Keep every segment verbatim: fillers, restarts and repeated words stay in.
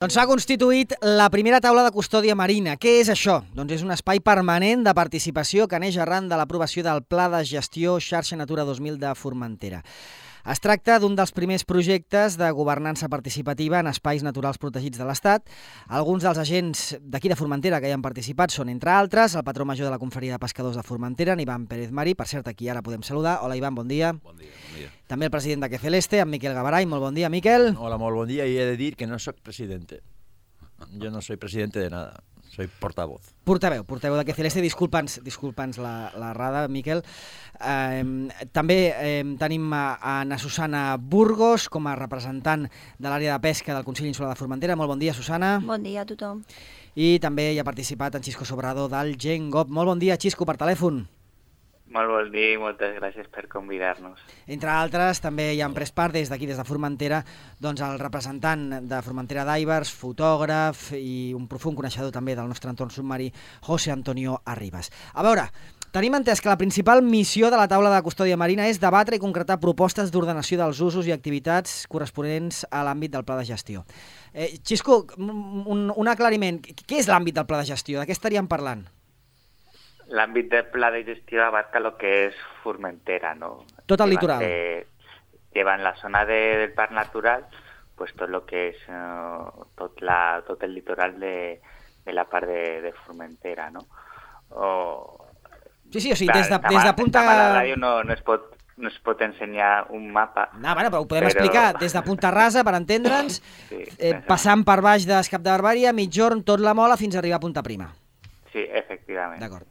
Doncs s'ha constituït la primera taula de custòdia marina. Què és això? Doncs és un espai permanent de participació que neix arran de l'aprovació del Pla de Gestió Xarxa Natura dos mil de Formentera. Es tracta d'un dels primers projectes de governança participativa en espais naturals protegits de l'Estat. Alguns dels agents d'aquí de Formentera que hi han participat són, entre altres, el patró major de la Confraria de Pescadors de Formentera, en Ivan Pérez Marí. Per cert, aquí ara podem saludar. Hola, Ivan, bon dia. Bon dia, bon dia. També el president de Que Celeste, en Miquel Gabaray. Molt bon dia, Miquel. Hola, molt bon dia. Y he de dir que no soy presidente. Yo no soy presidente de nada. Soy portavoz. Portaveu, portaveu de Que Celeste. Disculpa'ns, disculpa'ns la, la rada, Miquel. Eh, també eh, tenim a, a na Susana Burgos com a representant de l'àrea de pesca del Consell Insular de Formentera. Molt bon dia, Susana. Bon dia a tothom. I també hi ha participat en Xisco Sobrador del Gengop. Molt bon dia, Xisco, per telèfon. Molt bon dia i moltes gràcies per convidar-nos. Entre altres, també hi han pres part des d'aquí, des de Formentera, doncs el representant de Formentera Divers, fotògraf i un profund coneixedor també del nostre entorn submarí, José Antonio Arribas. A veure, tenim entès que la principal missió de la taula de custòdia marina és debatre i concretar propostes d'ordenació dels usos i activitats corresponents a l'àmbit del pla de gestió. Eh, Xisco, un, un aclariment. Què és l'àmbit del pla de gestió? De què estaríem parlant? L'àmbit del pla de gestió abarca lo que és Formentera, ¿no? Tot el litoral. Eh, lleva en la zona de, del parc natural, pues tot lo que és uh, tot, la, tot el litoral de, de la part de, de Formentera, ¿no? O, sí, sí, o sigui, clar, des de, des de punta... A la ràdio no, no, es pot, no es pot ensenyar un mapa. No, bueno, però ho podem però... explicar des de Punta Rasa, per entendre'ns, sí, eh, passant per baix d'Escap de Barbària, Mitjorn, tot la Mola, fins a arribar a Punta Prima. Sí, efectivament. D'acord.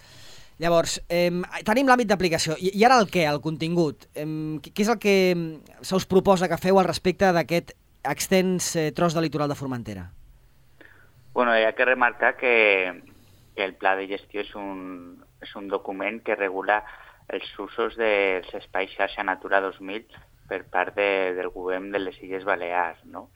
Llavors, eh, tenim l'àmbit d'aplicació. I, I ara el què, el contingut? Eh, què és el que se us proposa que feu al respecte d'aquest extens eh, tros de litoral de Formentera? Bueno, hi ha que remarcar que, que el pla de gestió és un, és un document que regula els usos dels espais xarxa Natura dos mil per part de, del govern de les Illes Balears, no?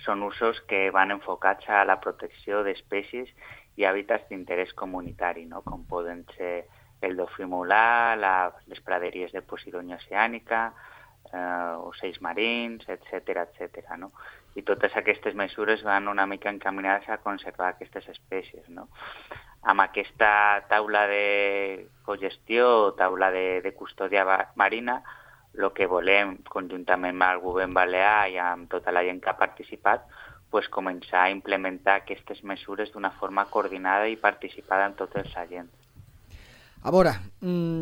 Són usos que van enfocats a la protecció d'espècies i hàbitats d'interès comunitari, no? Com poden ser el dofí molar, la, les praderies de Posidònia oceànica, eh, ocells marins, etcètera, etcètera, no? I totes aquestes mesures van una mica encaminades a conservar aquestes espècies, no? Amb aquesta taula de cogestió o taula de, de custòdia marina, el que volem, conjuntament amb el govern balear i amb tota la gent que ha participat, pues, començar a implementar aquestes mesures d'una forma coordinada i participada en tots els agents. A veure,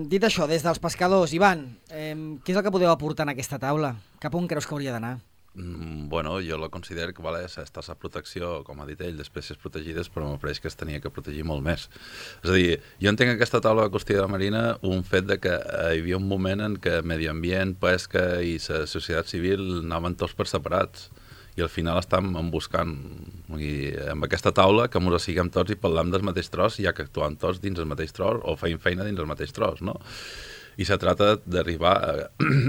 dit això, des dels pescadors, Ivan, eh, què és el que podeu aportar en aquesta taula? Cap on creus que hauria d'anar? Mm, bueno, jo la considero que vale, està a protecció, com ha dit ell, d'espècies protegides, però m'apareix que es tenia que protegir molt més. És a dir, jo entenc aquesta taula de custòdia marina un fet de que hi havia un moment en què medi ambient, pesca i la societat civil anaven tots per separats. I al final estem buscant, i amb aquesta taula, que ens siguem tots i parlem del mateix tros, ja que actuem tots dins el mateix tros o feim feina dins el mateix tros, no? I se trata d'arribar a,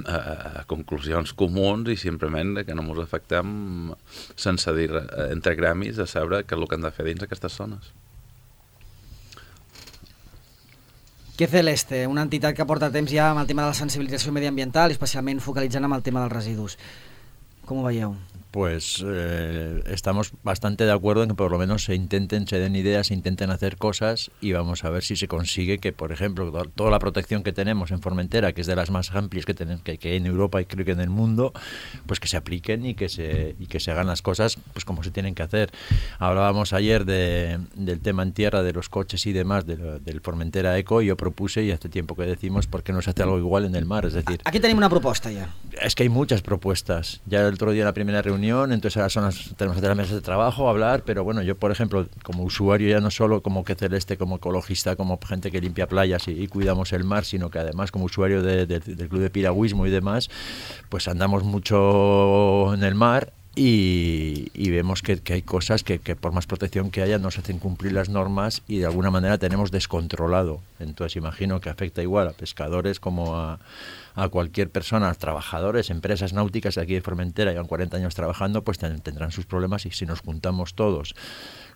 a, a conclusions comuns i simplement que no ens afectem sense dir entre gremis a saber què és el que hem de fer dins aquestes zones. Que Celeste, una entitat que porta temps ja amb el tema de la sensibilització mediambiental i especialment focalitzant amb el tema dels residus. ¿Cómo vayeu? Pues eh, estamos bastante de acuerdo en que por lo menos se intenten, se den ideas, se intenten hacer cosas y vamos a ver si se consigue que, por ejemplo, toda la protección que tenemos en Formentera, que es de las más amplias que tenemos que, que en Europa y creo que en el mundo, pues que se apliquen y que se, y que se hagan las cosas pues como se tienen que hacer. Hablábamos ayer de, del tema en tierra, de los coches y demás, de lo, del Formentera Eco, y yo propuse, y hace tiempo que decimos, ¿por qué no se hace algo igual en el mar? Es decir, aquí tenemos una propuesta ya. Es que hay muchas propuestas. Ya el otro día en la primera reunión, entonces ahora son las, tenemos que hacer las mesas de trabajo, hablar, pero bueno, yo por ejemplo, como usuario ya no solo como Que Celeste, como ecologista, como gente que limpia playas y, y cuidamos el mar, sino que además como usuario de, de, del club de piragüismo y demás, pues andamos mucho en el mar y, y vemos que, que hay cosas que, que por más protección que haya nos hacen cumplir las normas y de alguna manera tenemos descontrolado. Entonces imagino que afecta igual a pescadores como a a cualquier persona, trabajadores, empresas náuticas de aquí de Formentera, llevan cuarenta años trabajando, pues tendrán sus problemas y si nos juntamos todos,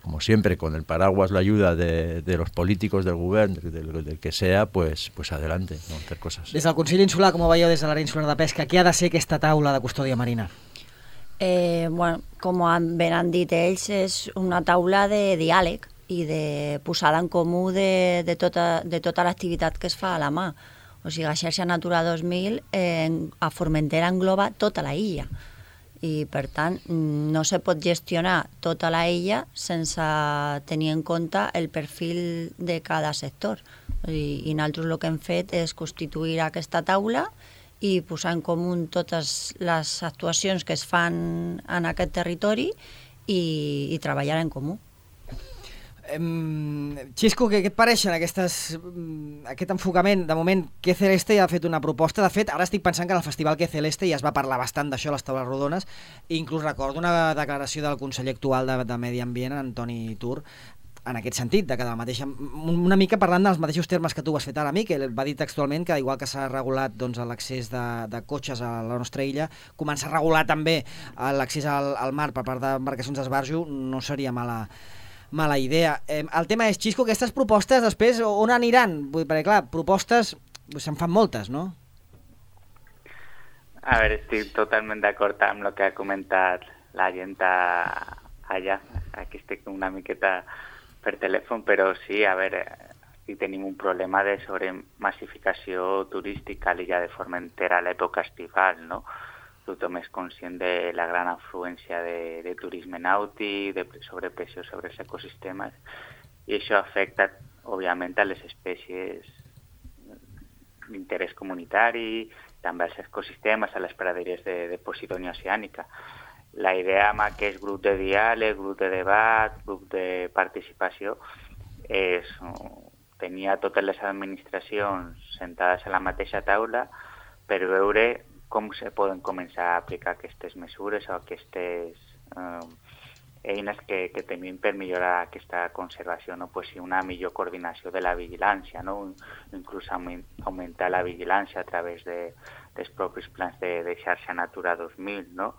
como siempre, con el paraguas, la ayuda de, de los políticos, del gobierno, del, del que sea, pues, pues adelante, vamos a hacer cosas. Des del Consell Insular, com ho veieu des de l'àrea insular de pesca, què ha de ser aquesta taula de custòdia marina? Eh, bueno, com ben han dit ells, és una taula de diàleg i de posada en comú de, de tota, de tota l'activitat que es fa a la mà. O sigui, la xarxa Natura dos mil eh, a Formentera engloba tota la illa i, per tant, no se pot gestionar tota la illa sense tenir en compte el perfil de cada sector. I, i nosaltres el que hem fet és constituir aquesta taula i posar en comú totes les actuacions que es fan en aquest territori i, i treballar en comú. Um, Xisco, què, què et pareixen aquestes, um, aquest enfocament? De moment, Que Celeste ja ha fet una proposta. De fet, ara estic pensant que en el festival Que Celeste ja es va parlar bastant d'això a les taules rodones, i inclús recordo una declaració del conseller actual de, de Medi Ambient, Antoni Tur, en aquest sentit, de que de la mateixa, una mica parlant dels mateixos termes que tu has fet ara, Miquel, va dir textualment que igual que s'ha regulat doncs, l'accés de, de cotxes a la nostra illa, començar a regular també l'accés al, al mar per part d'embarcacions d'esbarjo no seria mala, mala idea. Eh, el tema és, Xisco, aquestes propostes després on aniran? Vull dir, perquè clar, propostes se'n fan moltes, no? A veure, estic totalment d'acord amb el que ha comentat la gent allà. Aquí estic una miqueta per telèfon, però sí, a veure, aquí tenim un problema de sobremassificació turística a l'illa de Formentera a l'època estival, no? Tothom és conscient de la gran afluència de, de turisme nàutic, de sobrepressió sobre els ecosistemes, i això afecta, òbviament, a les espècies d'interès comunitari, també als ecosistemes, a les praderies de, de Posidònia oceànica. La idea amb aquest grup de diàleg, grup de debat, grup de participació, és tenir totes les administracions sentades a la mateixa taula per veure com se poden començar a aplicar aquestes mesures o aquestes eh, eines que, que tenim per millorar aquesta conservació, no? Pues, una millor coordinació de la vigilància, no? Inclús augmentar la vigilància a través de, dels propis plans de, de xarxa Natura dos mil, no?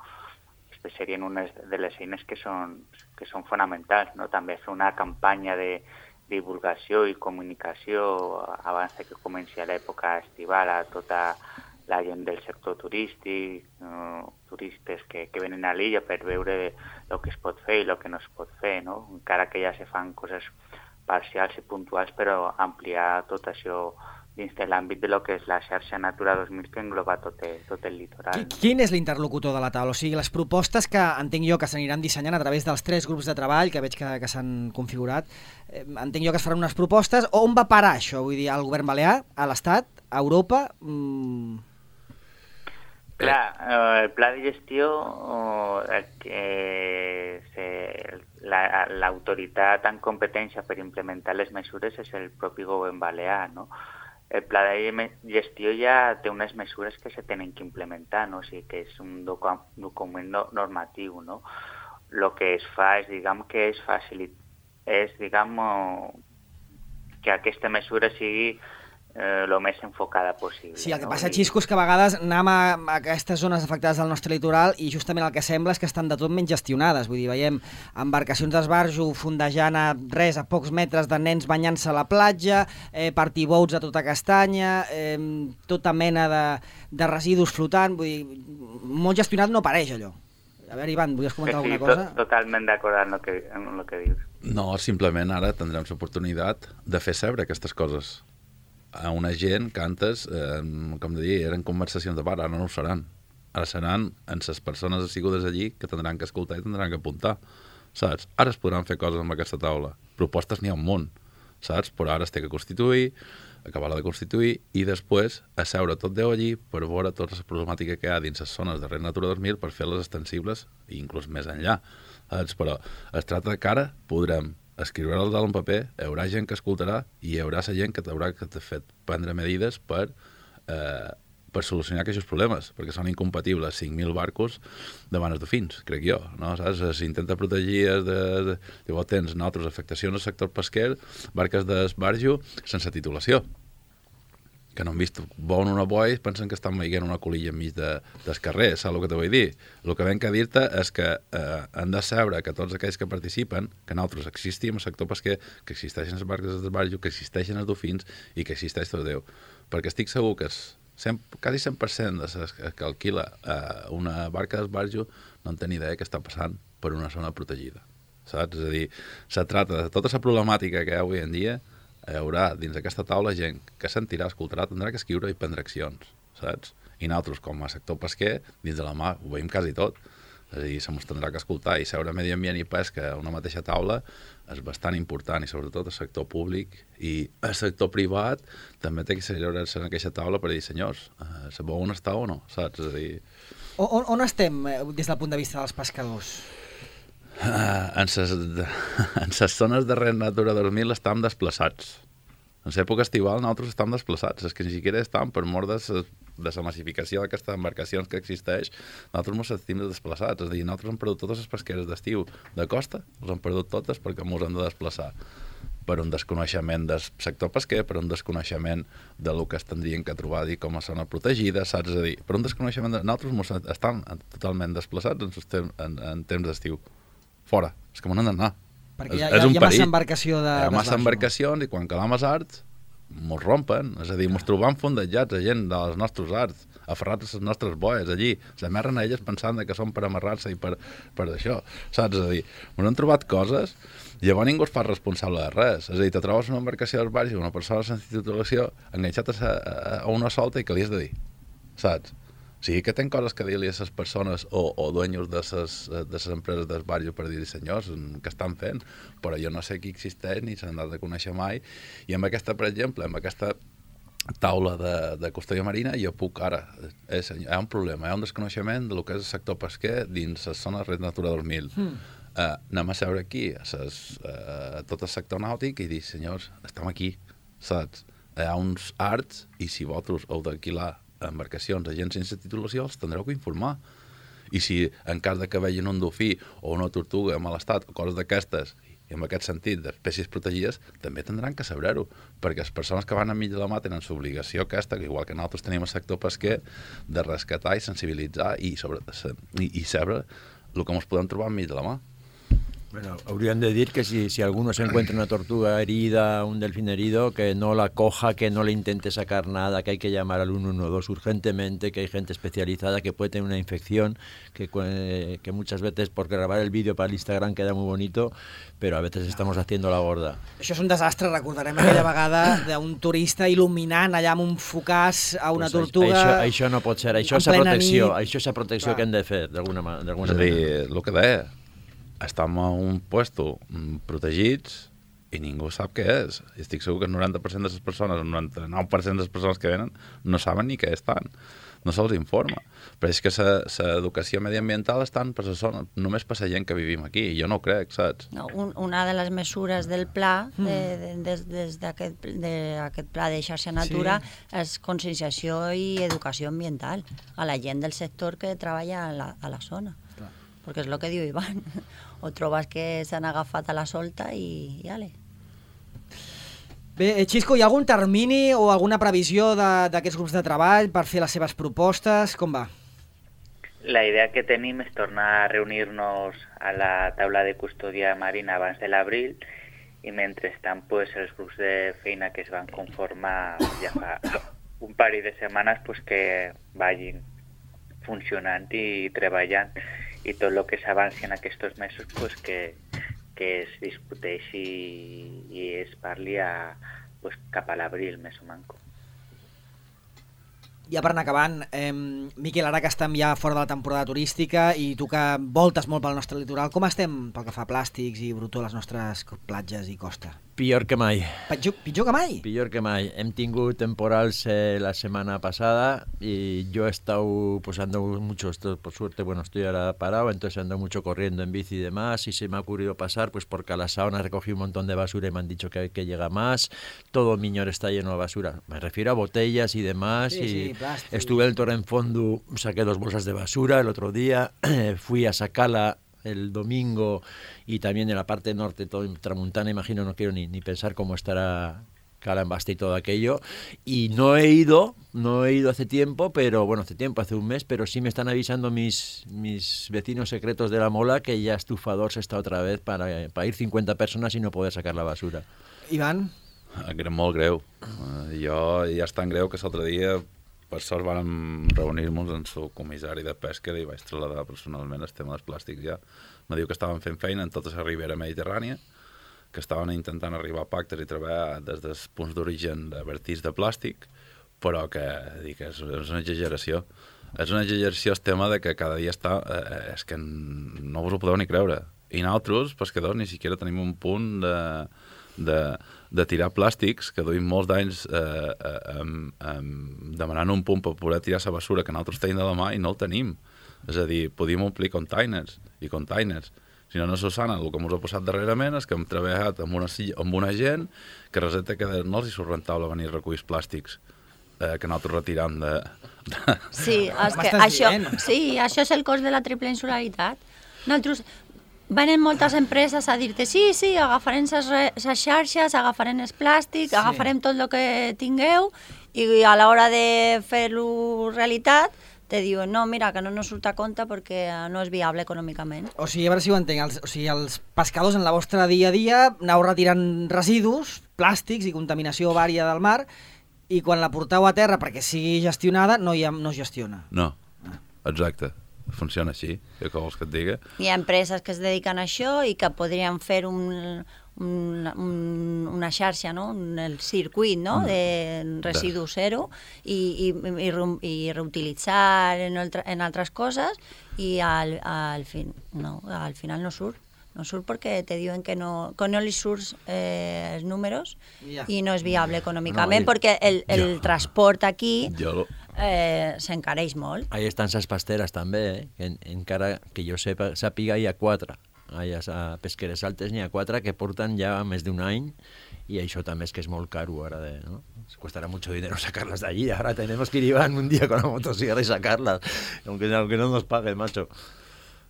Aquestes serien unes de les eines que són, que són fonamentals, no? També fer una campanya de divulgació i comunicació abans que comenci l'època estival a tota la gent del sector turístic, eh, turistes que, que venen a l'illa per veure el que es pot fer i el que no es pot fer, no? Encara que ja se fan coses parcials i puntuals, però ampliar tot això dins de l'àmbit de lo que és la xarxa Natura dos mil que engloba tot el, tot el litoral. Quin és l'interlocutor de la taula? O sigui, les propostes que entenc jo que s'aniran dissenyant a través dels tres grups de treball que veig que, que s'han configurat, eh, entenc jo que es faran unes propostes. On va parar això? Vull dir, al govern balear, a l'Estat, a Europa? Mm... Clar, eh, el pla de gestió, eh, que se, la, l'autoritat en competència per implementar les mesures és el propi govern balear, no? El pla de gestió ja té unes mesures que se tenen que implementar, no? O sigui que és un docu- document no, normatiu, no? El que es fa és, diguem, que és facilitar, és, diguem, que aquesta mesura sigui el eh, més enfocada possible. Sí, el que no? passa, Xisco, és que a vegades anem a, a aquestes zones afectades del nostre litoral i justament el que sembla és que estan de tot menys gestionades. Vull dir, veiem embarcacions d'esbarjo fondejant a res, a pocs metres de nens banyant-se a la platja, eh, party-boats a tota castanya, eh, tota mena de, de residus flotant. Vull dir, molt gestionat no pareix allò. A veure, Ivan, volies comentar sí, alguna cosa? To totalment d'acord amb el que, amb el que dius. No, simplement ara tindrem l'oportunitat de fer saber aquestes coses a una gent que antes, eh, com de dir, eren conversacions de bar, ara no ho seran. Ara seran en les persones assigudes allí que tindran que escoltar i tindran que apuntar, saps? Ara es podran fer coses amb aquesta taula. Propostes n'hi ha un munt, saps? Però ara es té que constituir, acabar-la de constituir i després asseure tot Déu allí per veure tota la problemàtica que hi ha dins les zones de Red Natura dos mil per fer-les extensibles i inclús més enllà. Saps? Però es tracta que ara podrem escriure-les en paper, hi haurà gent que escoltarà i hi haurà la gent que t'haurà fet prendre medides per, eh, per solucionar aquests problemes, perquè són incompatibles cinc mil barcos davant els dofins, crec jo, no? Saps? S'intenta protegir de, de, llavors tens nosaltres afectacions al sector pesquer, barques d'esbarjo sense titulació, que no han vist, volen una boia i pensen que estan veient una colilla enmig de, del carrer, saps el que te vull dir? El que venc a dir-te és que eh, han de saber que tots aquells que participen, que nosaltres existim al sector pesquer, que existeixen les barques d'esbarjo, que existeixen els dofins i que existeix tot Déu. Perquè estic segur que els cent, quasi cent per cent de les que alquila eh, una barca d'esbarjo no en té ni idea què està passant per una zona protegida, saps? És a dir, se trata de tota la problemàtica que hi ha avui en dia, hi haurà dins d'aquesta taula gent que sentirà, escoltarà, tindrà que escriure i prendre accions, saps? I nosaltres, com a sector pesquer, dins de la mà ho veiem quasi tot. És a dir, se mos tindrà que escoltar i seure medi ambient i pesca a una mateixa taula és bastant important i sobretot el sector públic i el sector privat també té que seure-se en aquesta taula per dir, senyors, eh, sabeu on està o no, saps? És a dir... On, on estem des del punt de vista dels pescadors? Uh, en les zones de Red Natura dos mil estem desplaçats. En l'època estival nosaltres estem desplaçats, és que ni siquiera estem per mort de, de la massificació d'aquestes embarcacions que existeix, nosaltres ens sentim desplaçats, és a dir, nosaltres hem perdut totes les pesqueres d'estiu de costa, les hem perdut totes perquè ens hem de desplaçar per un desconeixement del sector pesquer, per un desconeixement de lo que es tindrien que trobar dir com a zona protegida, saps? És a dir, per un desconeixement de... Nosaltres estem totalment desplaçats en, tem en, en temps d'estiu, fora, és que m'ho han d'anar. Perquè hi ha, hi ha, hi ha massa embarcació de... Hi ha massa embarcacions i quan calam els arts mos rompen, és a dir, mos trobam fondejats a gent dels nostres arts, aferrats a les nostres boies allí, s'amerren a elles pensant que són per amarrar-se i per, per això, saps? És a dir, mos han trobat coses i llavors ningú es fa responsable de res, és a dir, te trobes una embarcació d'esbarjo, una persona sense titulació enganxat a, a, a una solta i què li has de dir, saps? O sigui, que tenen coses que dir-li a les persones o, o dueños de les empreses d'esbarjo per dir, senyors, què estan fent? Però jo no sé qui existeix ni s'han de conèixer mai. I amb aquesta, per exemple, amb aquesta taula de, de custòdia marina, jo puc ara... És, hi ha un problema, hi ha un desconeixement del que és el sector pesquer dins les zones Red Natura dos mil. Mm. Uh, anem a seure aquí, a, ses, uh, a tot el sector nàutic i dir, senyors, estem aquí, saps? Hi ha uns arts i si vosaltres heu d'alquilar embarcacions, agents sense titulació, els tindreu que informar. I si en cas de que vegin un dofí o una tortuga en mal estat o coses d'aquestes, i en aquest sentit d'espècies protegides, també tindran que saber-ho, perquè les persones que van enmig de la mà tenen l'obligació aquesta, igual que nosaltres tenim el sector pesquer, de rescatar i sensibilitzar i, sobre, i, i saber el que ens podem trobar enmig de la mà. Bueno, habrían de decir que si, si alguno se encuentra una tortuga herida, un delfín herido, que no la coja, que no le intente sacar nada, que hay que llamar al uno uno dos urgentemente, que hay gente especializada que puede tener una infección, que, que muchas veces por grabar el vídeo para el Instagram queda muy bonito, pero a veces estamos haciendo la gorda. Això és un desastre, recordarem aquella vegada d'un turista il·luminant allà amb un focàs a una pues tortuga... Això, això no pot ser, això és la protecció, això és la protecció Clar. que hem de fer, d'alguna manera. És a dir, el que deia, estem a un puesto protegits i ningú sap què és. I estic segur que el noranta per cent de les persones, el noranta-nou per cent de les persones que venen no saben ni què estan. No se'ls informa. Però és que l'educació mediambiental estan per la zona, només per la gent que vivim aquí. Jo no ho crec, saps? No, un, una de les mesures del pla, de, de, des, des d'aquest de pla de xarxa natura, sí. és conscienciació i educació ambiental a la gent del sector que treballa a la, a la zona. Clar. Perquè és el que diu Ivan. O trobes que s'han agafat a la solta i, i ale. Bé, Xisco, hi ha algun termini o alguna previsió d'aquests grups de treball per fer les seves propostes? Com va? La idea que tenim és tornar a reunir-nos a la taula de custòdia marina abans de l'abril i mentrestant pues, els grups de feina que es van conformar ja fa un parell de setmanes pues, que vagin funcionant i treballant i tot el que s'avanci en aquests mesos pues, que, que es discuteixi i es parli a, pues, cap a l'abril, més o manco. Ja per anar acabant, eh, Miquel, ara que estem ja fora de la temporada turística i tu que voltes molt pel nostre litoral, com estem pel que fa a plàstics i brutó a les nostres platges i costa? Pitjor que mai. Pitjor, pitjor que mai? Pitjor que mai. Hem tingut temporals eh, la semana pasada y yo he estado pues ando mucho, esto, por suerte, bueno, estoy ahora parado, entonces ando mucho corriendo en bici y demás y se me ha ocurrido pasar pues por Calasaona, recogí un montón de basura y me han dicho que, que llega más, todo Miñor está lleno de basura, me refiero a botellas y demás sí, y sí, plástico. Estuve en el Torrenfondo, saqué dos bolsas de basura el otro día, fui a sacarla el domingo y también en la parte norte, todo en Tramuntana, imagino, no quiero ni, ni pensar cómo estará Cala en Basta y todo aquello. Y no he ido, no he ido hace tiempo, pero bueno, hace tiempo, hace un mes, pero sí me están avisando mis, mis vecinos secretos de la Mola que ya Estufadors está otra vez para, para ir cincuenta personas y no poder sacar la basura. Ivan? Greu, molt greu. Uh, jo ja és tan greu que l'altre dia per sort vam reunir-nos amb el comissari de pesca i vaig traslladar personalment el tema dels plàstics ja. Me diu que estaven fent feina en tota la ribera mediterrània, que estaven intentant arribar a pactes i treballar des dels punts d'origen de vertits de plàstic, però que dic, és, és una exageració. És una exageració el tema de que cada dia està... Eh, és que no vos ho podeu ni creure. I nosaltres, pescadors, ni siquiera tenim un punt de, de, de tirar plàstics, que duim molts d'anys eh, eh, eh, eh, demanant un punt per poder tirar la bessura que nosaltres tenim de la mà i no el tenim. És a dir, podíem omplir containers i containers. Si no, no s'ho saben, el que ens ha passat darrerament és que hem treballat amb una, amb una gent que resulta que no els hi surt rentable venir a recollir plàstics eh, que nosaltres retiram de... de... Sí, és que això, sí, això és el cost de la triple insularitat. Nosaltres... Venen moltes empreses a dir-te sí, sí, agafarem les xarxes, agafarem els plàstics, sí. agafarem tot el que tingueu i a l'hora de fer-lo realitat te diuen no, mira, que no ens surt a compte perquè no és viable econòmicament. O sigui, a veure si ho entenc, els, o sigui, els pescadors en la vostra dia a dia aneu retirant residus, plàstics i contaminació vària del mar i quan la porteu a terra perquè sigui gestionada no, hi ha, no es gestiona. No, exacte. Funciona així, què vols que et diga? Hi ha empreses que es dediquen a això i que podrien fer un, un, un, una xarxa, no? el circuit no? de residu zero i, i, i, i reutilitzar en, altre, en altres coses i al, al, fin, no, al final no surt. No surt perquè te diuen que no, que no li surts eh, els números yeah. i no és viable econòmicament no, perquè el, el ja. transport aquí... Jo... Eh, s'encareix molt. Ahí estan les pasteres també, eh? en, encara que jo sepa, sàpiga hi ha quatre. Allà a Pesqueres Altes n'hi ha quatre que porten ja més d'un any y això també és que és molt caro ara de, ¿no? Costará mucho dinero sacarlas de allí, ahora tenemos que ir un día con la motosierra y sacarlas, aunque, aunque no nos paguen, macho.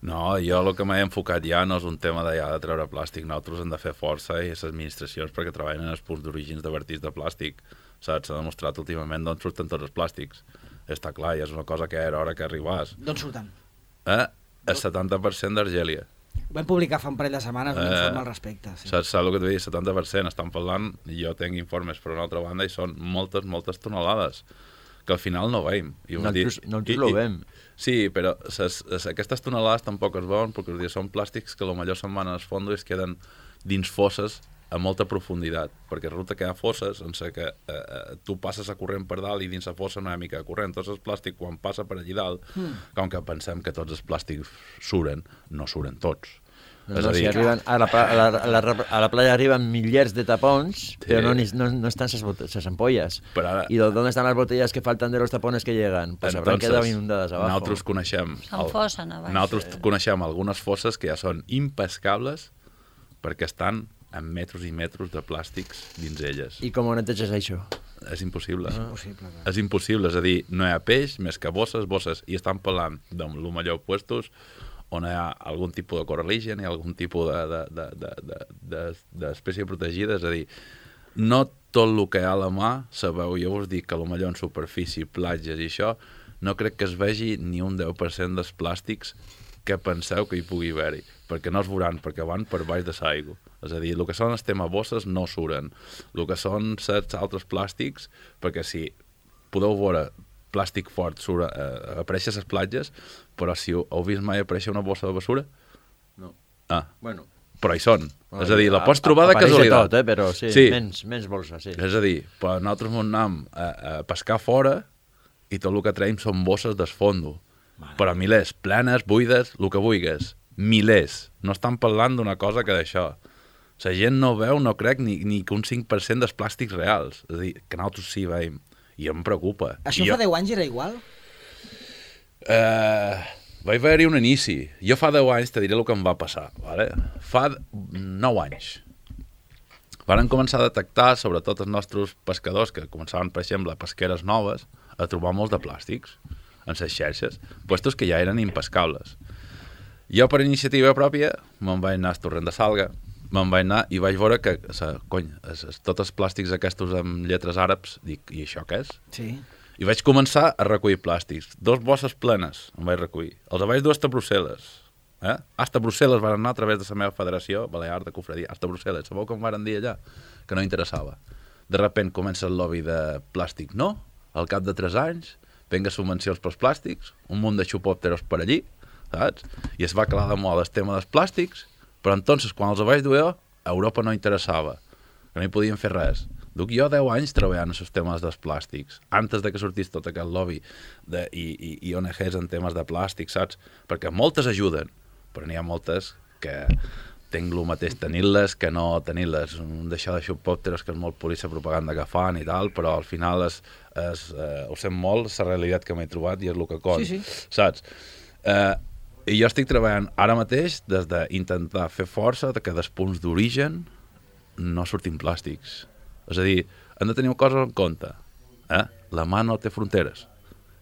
No, jo el que m'he enfocat ja no és un tema de, ja, de treure plàstic, nosaltres hem de fer força i les administracions perquè treballen en els punts d'orígens de vertits de plàstic, saps? S'ha demostrat últimament d'on surten tots els plàstics. Està clar, i és una cosa que era hora que arribàs. D'on surten? Eh? El setanta per cent d'Argèlia. Vam publicar fa un parell de setmanes un eh, informe al respecte. Sí. Saps, saps el que t'ho dic? setanta per cent estan parlant, i jo tinc informes per una altra banda, i són moltes, moltes tonelades que al final no veiem. I nosaltres no ho veiem. Sí, però ses, ses, aquestes tonelades tampoc es veuen perquè són plàstics que potser se'n van als fondos i es queden dins fosses a molta profunditat, perquè resulta que hi ha fosses en què eh, tu passes a corrent per dalt i dins la fossa no hi ha mica de corrent. Tots els plàstics, quan passa per allí dalt, mm. com que pensem que tots els plàstics suren, no suren tots. No, no, si arriben, a, la, a, la, a, la, a la playa arriben milers de tapons, sí. pero no, no, no están esas ampollas. Ara, ¿Y dónde están las botellas que faltan de los tapones que llegan? Pues habrán quedado inundadas abajo. Nosaltres coneixem, el, fossen, nosaltres sí. coneixem algunes fosses que ja són impescables perquè estan amb metres i metres de plàstics dins elles. I com ho neteges això? És impossible. És impossible, clar. És impossible, és a dir, no hi ha peix més que bosses, bosses, i estan parlant de lo millor puestos on hi ha algun tipus de coraligen i algun tipus d'espècie de, de, de, de, de protegida, és a dir, no tot el que hi ha a la mà sabeu, jo vos dic que potser en superfície, platges i això, no crec que es vegi ni un deu per cent dels plàstics que penseu que hi pugui haver-hi, perquè no es veuran, perquè van per baix de l'aigua. És a dir, el que són els temes bosses no suren. El que són certs altres plàstics, perquè si podeu veure plàstic fort surt, eh, aparèixer a les platges, però si heu, heu vist mai aparèixer una bossa de bessura? No. Ah, bueno. Però hi són. Oh, és a dir, la pots trobar de casualitat. Tot, eh? Però sí, sí. Menys, menys bolsa, sí. És a dir, però nosaltres anem a, a pescar fora i tot el que traiem són bosses d'esfondo. Vale. Però milers, plenes, buides, el que vulguis. Milers. No estan parlant d'una cosa que d'això. La gent no veu, no crec, ni, ni que un cinc per cent dels plàstics reals. És a dir, que nosaltres sí veiem. I em preocupa. Això I fa jo... deu anys era igual? Uh, vaig haver-hi un inici. Jo fa deu anys te diré el que em va passar. Vale? Fa nou anys. Varen començar a detectar, sobretot els nostres pescadors, que començaven, per exemple, pesqueres noves, a trobar molts de plàstics en les xarxes, puestos que ja eren impescables. Jo, per iniciativa pròpia, me'n vaig anar al torrent de Salga, me'n vaig anar i vaig veure que, sa, cony, es, es, tots els plàstics aquests amb lletres àrabs, dic, i això què és? Sí. I vaig començar a recollir plàstics. Dos bosses plenes em vaig recollir. Els vaig dur hasta Brussel·les. Eh? Hasta Brussel·les van anar a través de la meva federació balear de cofradia. Hasta Brussel·les. Sabeu com van dir allà? Que no interessava. De repent comença el lobby de plàstic. No, al cap de tres anys venga subvencions pels plàstics, un munt de xupòpteros per allí, saps? I es va calar de moda el tema dels plàstics, però entonces, quan els vaig dur jo, a Europa no interessava, que no hi podien fer res. Duc jo deu anys treballant en els temes dels plàstics, antes de que sortís tot aquest lobby de, i, i, i O N Gs en temes de plàstic, saps? Perquè moltes ajuden, però n'hi ha moltes que tinc el mateix tenir-les que no tenir-les. Un d'això de xupòpteros que és molt polícia propaganda que fan i tal, però al final és, és, eh, ho sent molt, la realitat que m'he trobat i és el que cont, sí, sí. saps? Eh, I jo estic treballant ara mateix des d'intentar fer força de que dels punts d'origen no surtin plàstics. És a dir, hem de tenir coses en compte. Eh? La mà no té fronteres.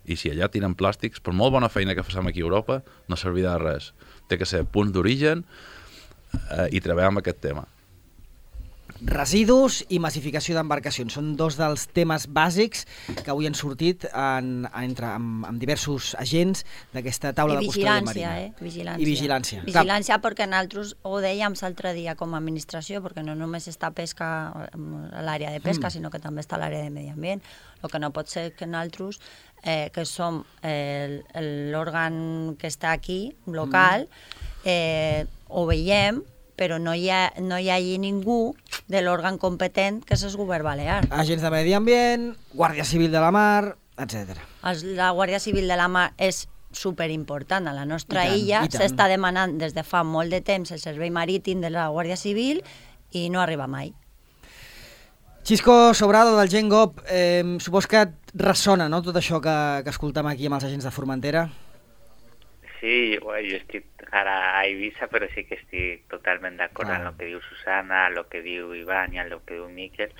I si allà tiren plàstics, per molt bona feina que fem aquí a Europa, no servirà de res. Té que ser punts d'origen eh, i treballar amb aquest tema. Residus i massificació d'embarcacions són dos dels temes bàsics que avui han sortit en, entre, amb, amb diversos agents d'aquesta taula de custòdia marina. Eh? Vigilància, I vigilància. Vigilància perquè nosaltres ho dèiem l'altre dia com a administració, perquè no només està pesca a l'àrea de pesca, mm. sinó que també està a l'àrea de medi ambient. El que no pot ser que nosaltres, eh, que som eh, l'òrgan que està aquí, local, eh, ho veiem, però no hi, ha, no hi hagi ningú de l'òrgan competent que és el govern balear. Agents de medi ambient, Guàrdia Civil de la Mar, etcètera. La Guàrdia Civil de la Mar és superimportant. A la nostra tant, illa s'està demanant des de fa molt de temps el servei marítim de la Guàrdia Civil i no arriba mai. Xisco Sobrado, del Gengop, eh, supos que et ressona, no?, tot això que, que escoltem aquí amb els agents de Formentera? Sí, bueno, jo estic ara a Eivissa, però sí que estic totalment d'acord ah. amb el que diu Susana, amb el que diu Ivan i amb el que diu Miquel.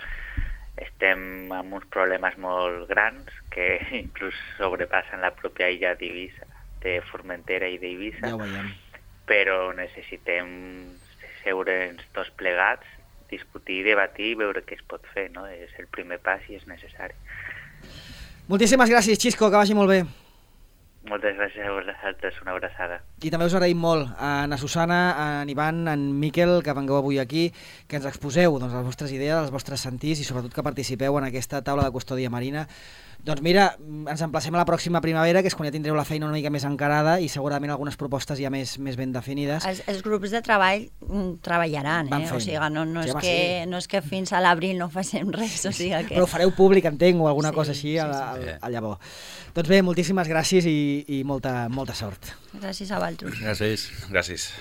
Estem amb uns problemes molt grans que inclús sobrepassen la pròpia illa d'Eivissa, de Formentera i d'Eivissa, ja ho veiem. Però necessitem seure'ns tots plegats, discutir, debatir i veure què es pot fer, no? És el primer pas i és necessari. Moltíssimes gràcies, Xisco, que vagi molt bé. Moltes gràcies a vosaltres, una abraçada. I també us agraïm molt a na Susana, a en Ivan, a en Miquel, que vengueu avui aquí, que ens exposeu doncs, les vostres idees, els vostres sentirs i sobretot que participeu en aquesta taula de custòdia marina. Doncs mira, ens emplacem a la pròxima primavera, que és quan ja tindreu la feina una mica més encarada i segurament algunes propostes ja més, més ben definides. Els, els grups de treball treballaran, eh? O sigui, no, no, sí, és que, sí. no és que fins a l'abril no facem res. O sigui que... Però ho fareu públic, entenc, o alguna sí, cosa així sí, a, a, sí. a llavor. Doncs bé, moltíssimes gràcies i, i molta, molta sort. Gràcies a vosaltres. Gràcies. Gràcies.